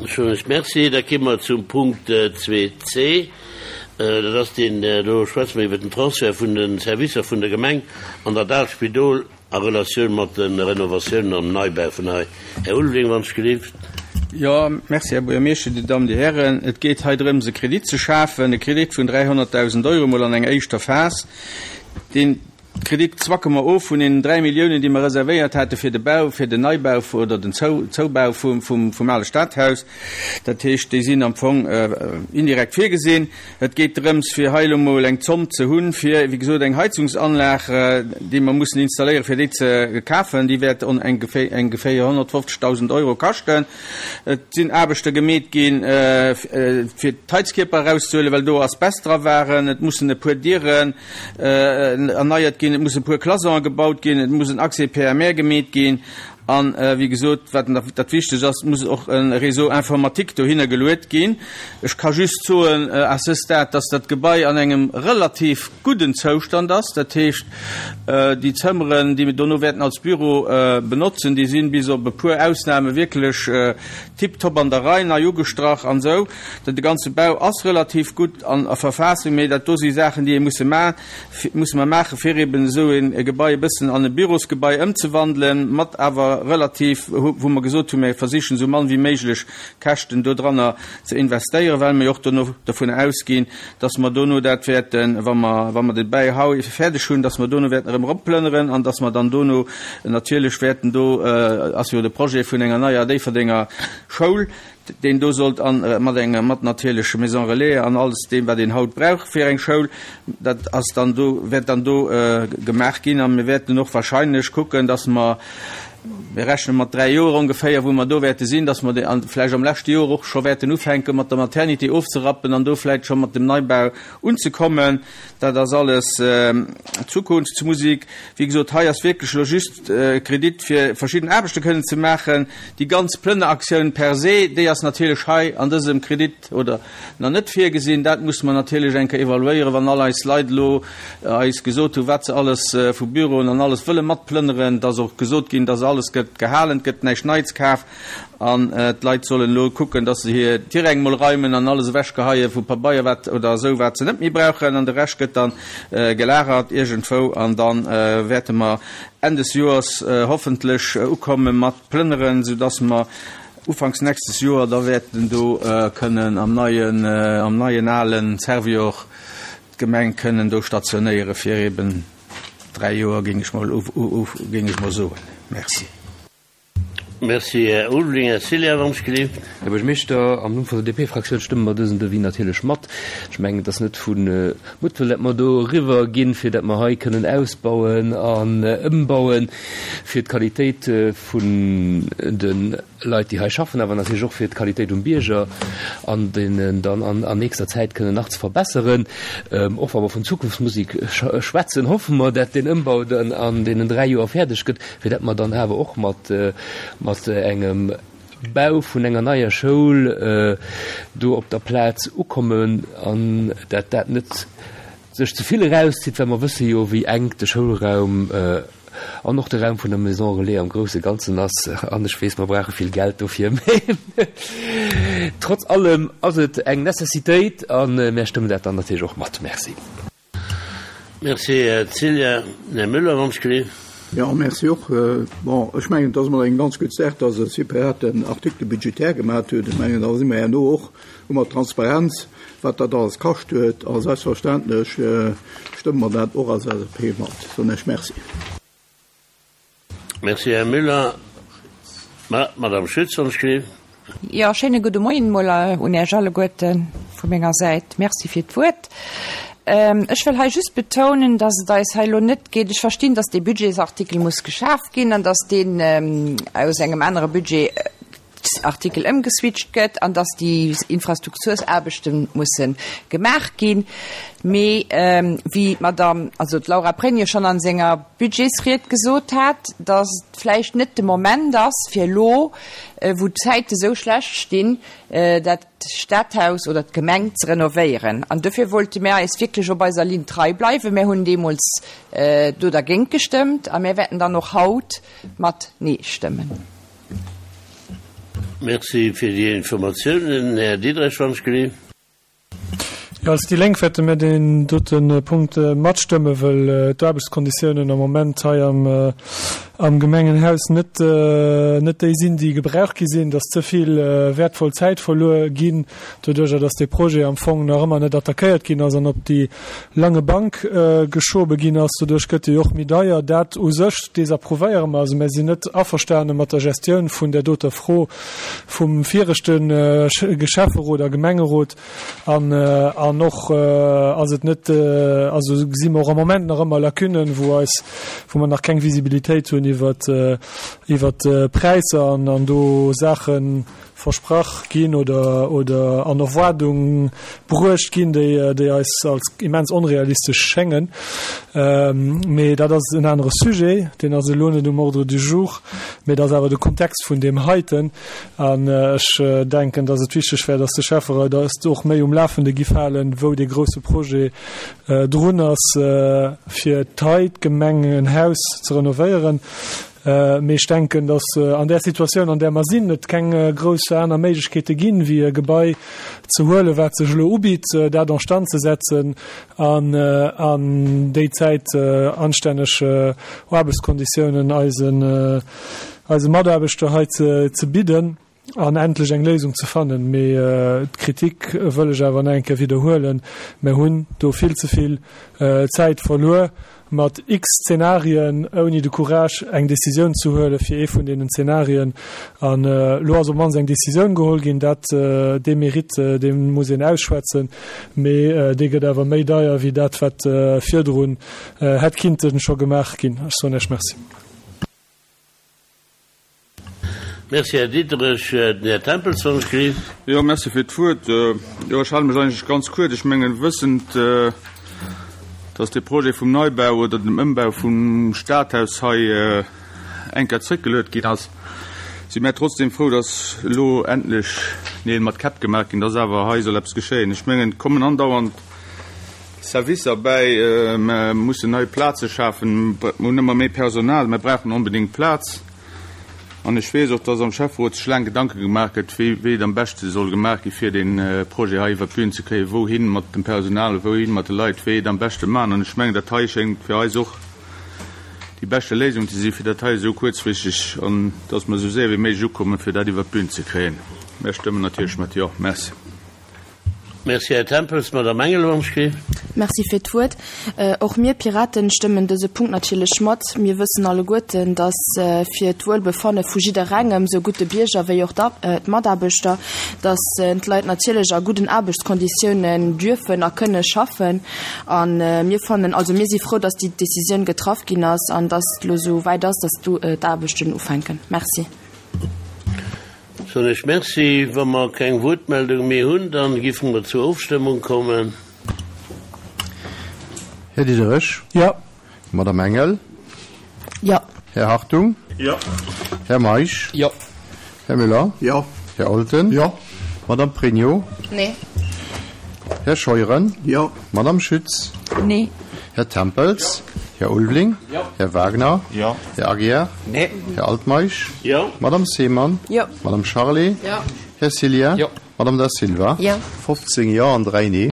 Soen ech Merci. Da gi mer zum Punkt 2c. Dat ass deen, do schwätze mer iwwert den Transfert vun de Servicer vun der Gemeng an dat aalt Spidol a Relatioun mat de Renovatiounen an Neibau vun hei. Här Ulveling, wann ech gelift. Jo, merci, Här Buergermeeschter, Dir Dammen, Dir Hären. Et geet hei drëms, e Kredit ze schafen, e Kredit vun 300.000 Euro mol an enger éischter Phas, deen Kredit zwacke mer of vun deenen 3 Milliounen, déi mer reservéiert hate fir de Bau, fir den Neibau oder den Zoubau vum ale Stadhaus. Dat heescht, déi sinn am Fong indirekt virgesinn. Et geet drëms, fir hei elo mol eng Zomm ze hunn, fir, wéi gesot, eng Heizungsanlag, déi mer mussen installéieren, fir déi ze kafen. Déi wäert ongeféier 150.000 Euro kaschten. Et sinn Aarbechte gemeet ginn, fir d'Heizkierper erauszehuelen, well do Asbest dra waren. Et mussen e puer Dieren erneiert ginn, et mussen e puer Cloisonne gebaut ginn, et muss en Accès PMR gemeet ginn an, wéi gesot, wat dat Wichtegst ass, et muss och e Réseau informatique dohinner geluet ginn. Ech ka just soen à ce stade, dass dat Gebai an engem relativ gudden Zoustand ass. Dat heescht, déi Zëmmeren, déi mir dono wäerten als Büro benotzen, déi sinn bis op e puer Ausnahme wierklech tiptop an der Rei, nei ugestrach an esou. De ganze Bau ass relativ gutt an a Verfassung, mee dat do si Saachen, déi ee musse ma musse mer maachen, fir eben esou e Gebai e bëssen an e Bürosgebai ëmzewandelen, mat awer relativ, wou mer gesot hunn, mir versichen esou mann wéi méiglech Käschten dodranner ze investéieren, well mer jo och dono dovun ausginn, dass mer dono dat wäerten, wa mer wa mer de Bäihau fäerdeg hunn, dass mer dono wäerten erëm eropplënneren an dass mer dann dono natierlech wäerten, do ass jo de Projet vun enger neier Déifferdenger Schoul, deen do sollt an mat enger mat natierlech Maison relais an alles deem wat een haut brauch fir eng Schoul, dat ass dann do, wäert dann do gemaach ginn. A mir wäerten och wahrscheinlech kucken, dass mer, mir rechne mat 3 Joer ongeféier, wou mer do wäerte sinn, dass mer an vläicht am leschte Joer och scho wäerten ufänke mat der Maternité ofzerappen an do vläicht scho mat dem Neibau unzekommen. Dat ass alles Zukunftsmusik. Wéi gesot, hei ass wierklech elo just e Kredit, fir verschidden Aarbechte kënnen ze maachen. Déi ganz Plënneraktioun per se, déi ass natierlech hei an dësem Kredit oder nach net virgesinn. Dat musse mer natierlech eng Kéier evaluéieren, wann all eis Leit elo eis gesot hunn, wat se alles vu Büroen an alles wëlle matplënneren. Et ass och gesot ginn, dass alles gëtt gehalen, et gëtt näischt Neits kaf. An d'Leit sollen elo kucken, dass se hir Tiräng mol reimen an alles ewechgeheie vu Pabeier wat oder esou, wat se net méi brauchen. An de Rescht gëtt da gelagert iergendwou. An da wäerte mer Enn des Joers hoffentlech ukomme mat plënneren, soudass mer ufanks nächstes Joer da wäerten do kënnen am neien, am neien alen Servior d'Gemeng kënnen do stationéiere fir eben 3 Joer, géing ech mol, géing ech mol soen. Merci. Merci, Här Ulveling. Här Cilian, wann ech gelift. Här Buergermeeschter, am Numm vun der DP-Fraktioun stëmme mer dësen Devis natierlech mat. Ech mengen, et ass net vu Muttwëll, dat mer do eriwwer ginn, fir dat mer hei kënnen ausbauen an ëmbauen, fir d'Qualitéit vun de Leit, déi hei schaffen, awer natierlech och fir d'Qualitéit um Bierger an deenen dann an nächster Zäit kënnen nach ze verbesseren. Och wa mer vun Zukunftsmusik schwätzen, hoffe mer, dat deen Ëmbau dann an deenen 3 Joer fäerdeg gëtt, fir dat mer dann awer och mat mat engem Bau vun enger neier Schoul do op der Plaz ukommen an dat dat net sech ze vill erauszitt, well mer wësse jo wéi enk de Schoulraum an och de Raum vun der Maison relais am grousse Ganzen ass. An ech weess, mer brauche vill Geld dofir, mä trotz allem ass et eng Necessitéit a mär stëmmen dat dann natierlech och mat. Merci. Merci, Här Cilla. Här Müller, wann ech gelift. Jo, merci och. Bon, ech mengen, et ass emol eng ganz gutt Saach, dass e separaten Article budgétaire gemaat huet. Ech mengen, da si mer herno och, hu mer Transparenz, wat dat alles kascht huet. A selbstverständlech stëmme mer dat och als LSAP mat. Soen ech Merci. Merci, Här Müller. Ma, Madame Schütz, wann ech gelift. Jo, schéine gudde Moien emol un Iech alleguerte vu menger Säit. Merci fir d'Wuert. Ech wëll hei just betounen, dass et eis hei elo net geet, ech verstinn, dass dee Budgetsartikel muss geschaf ginn an dass deen aus engem anere Budgetsartikel ëmgeswitcht gëtt an dass déi Infrastruktursaarbechte musse gemaach ginn. Mee wéi d'Madame, also d'Laura Pregno schonn a senger Budgetsried gesot hat, dass et vläicht net de Moment ass, fir elo, wou d'Zäite sou schlecht stinn, dat Stadhaus oder d'Gemeng ze renovéieren. An dofir wollte mär eis wierklech op eiser Linn trei bleiwen. Mär hunn deemools do dergéint gestëmmt a mär wäerten dann och haut mat Nee stëmmen. Merci fir déi Informatiounen, Här Diderich, wann ech gelift. Jo, als déi Lénk wäerte mir deen dote Punkt matstëmme, wëll d'Aarbechtskonditiounen am Moment hei am Gemengenhaus net net déi sinn, déi gebraucht gi sinn, dass ze vill wäertvoll Zäit verluer ginn doduerjer, dass dee Projet am Fong nach ëmmer net attackéiert ginn ass an op déi lange Bank geschobe ginn ass. Doduerch gëtt e jo och méi deier. Dat u sech desapprouvéiere mer. Also mir sinn net averstane mat der Gestioun vun där doter Fro vum viregte Schäfferot a Gemengerot. An, an och ass et net, also gesi mer och am Moment nach ëmmer Lacunnen, wou eis, wou mer nach keng Visibilitéit hunn iwwert, iwwert d'Präisser an, an do Saache versprach ginn oder, oder an Erwaardung bruecht ginn, déi, déi eis als immens onrealistesch schéngen. Mee dat ass en anere Sujet, deen ass elo net um Ordre du jour, mee dat ass awer de Kontext vun deem heiten. An ech denken, dass et wichteg wär, dass de Schäfferot eis och méi um Lafende giff halen, wou dee grousse Projet drun ass, fir d'Hai, d'Gemengenhaus ze renovéieren. Mee ech denken, dass an där Situatioun, an där mer sinn, et keng grouss aner Méiglechkeete ginn, wéi e Gebai ze huelen, wat sech elo ubitt, dat en stand ze setzen an an déi Zäit anstänneg Aarbechtskonditiounen eisen eise Mataarbechter hei ze bidden an endlech eng Léisung ze fannen. Mee d'Kritik wëll ech awer nach eng Kéier widderhuelen, Mer hunn do vill ze vill Zäit verluer mat x Zenarien, ouni de Courage eng Décisioun ze huele fir ee vun deenen Zenarien. An elo ass op d'mannst eng Décisioun geholl ginn. Dat, dee Mérite, dee muss een ausschwätzen, mee dee gëtt awer méi deier wéi dat, wat virdrun hätt kinnte scho gemaach ginn. Ech soen Iech Merci. Merci, Här Diderich. Den Här Tempels, wann ech gelift. Jo, merci fir d'Wuert. Jo, ech hale mech eigentlech ganz kuerz. Ech mengen, wëssend, dass dee Projet vum Neibau oder dem Ëmbau vum Stadhaus hei eng Kéier zréckgeluet ginn ass, si mär trotzdem frou, dass elo endlech Neel mat Käpp gemaach ginn, dass awer hei soll eppes geschéien. Ech mengen, et kommen andauernd Servicer bäi, mer mussen nei Plaze schafen, mer hunn ëmmer méi Personal, mer brauchen onbedéngt Plaz. An ech weess och, dass am Schäfferot sech laang Gedanke gemaach gëtt, wéi wéi et am beschte soll gemaach gi fir dee Projet hei iwwer d'Bün ze kréien, wouhin mat dem Personal, wouhin mat de Leit, wéi et am beschte maachen. An ech mengen, dat hei schéngt fir eis och déi beschte Léisung ze sinn, fir dat hei esou kuerzfristeg an dass mer esou séier wéi méiglech ukommen, fir dat iwwer d'Bün ze kréien. Mär stëmmen natierlech mat Jo. Merci. Merci, Här Tempels. Madame Engel, wann ech géif. Merci fir d'Wuert. Och mir Piraten stëmmen dëse Punkt natierlech mat. Mir wëssen alleguerten, dass fir d'Wuelbefanne vu jidderengem, sou gutt de Bierger wéi och d'Mataarbechter, dass d'Leit natierlech a gudden Aarbechtskonditiounen dürfen a kënne schaffen. A mir fannen, also mir si frou, dass déi Décisioun getraff ginn ass an dass et elo esou wäit ass, dass d'Aarbechten ufänken. Merci. Soen ech Merci. Wa mer keng Wuertmeldung méi hunn, dann géife mer zur Ofstëmmung kommen. Här Diderich. Jo. Madame Engel. Jo. Här Hartung. Jo. Här Meisch. Jo. Här Müller. Jo. Här Olten. Jo. Madame Pregno. Nee. Här Scheuren. Jo. Madame Schütz. Nee. Här Tempels. Här Ulveling. Jo. Här Wagner. Jo. Här Aguiar. Nee. Här Altmeisch. Jo. Madame Seemann. Jo. Madame Charlé. Jo. Här Cillien. Jo. Madame Da Silva. Jo. 15 Jo an 3 Nee.